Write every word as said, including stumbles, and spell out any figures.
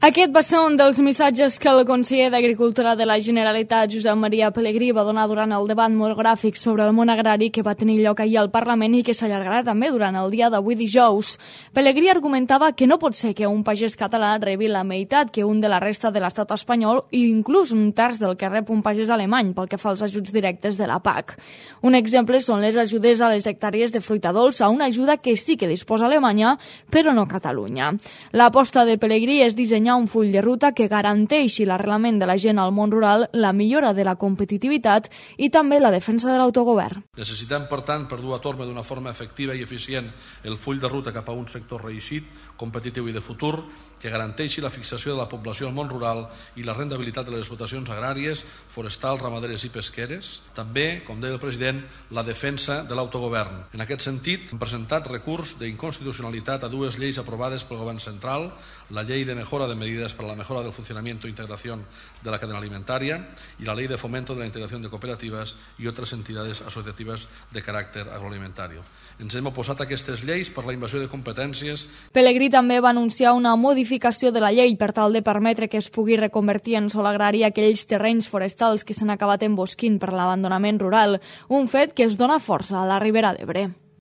Aquest va ser un dels missatges que el conseller d'Agricultura de la Generalitat, Josep Maria Pelegrí, va donar durant el debat monogràfic sobre el món agrari que va tenir lloc ahir al Parlament i que s'allargarà també durant el dia d'avui dijous. Pelegrí argumentava que no pot ser que un pagès català rebi la meitat que un de la resta de l'estat espanyol i inclús un terç del que rep un pagès alemany pel que fa als ajuts directes de la P A C. Un exemple són les ajudes a les hectàrees de fruita dolça, una ajuda que sí que disposa Alemanya, però no Catalunya. L'aposta de Pelegrí és dissenyar un full de ruta que garanteixi l'arrelament de la gent al món rural, la millora de la competitivitat i també la defensa de l'autogovern. Necessitem, per tant, per dur a terme d'una forma efectiva i eficient el full de ruta cap a un sector reeixit, competitiu i de futur, que garanteixi la fixació de la població al món rural i la rendibilitat de les explotacions agràries, forestals, ramaderes i pesqueres. També, com deia el president, la defensa de l'autogovern. En aquest sentit, hem presentat recurs d'inconstitucionalitat a dues lleis aprovades pel Govern central, la Llei de Mejora de Medidas para la Mejora del Funcionamiento e Integración de la Cadena Alimentaria y la Ley de Fomento de la Integración de Cooperativas y otras entidades asociativas de caràcter agroalimentario. Ens hem oposat a aquestes lleis per la invasió de competències. Pelegrí també va anunciar una modificació de la llei per tal de permetre que es pugui reconvertir en sòl agrari aquells terrenys forestals que s'han acabat embosquint per l'abandonament rural, un fet que es dona força a la Ribera d'Ebre.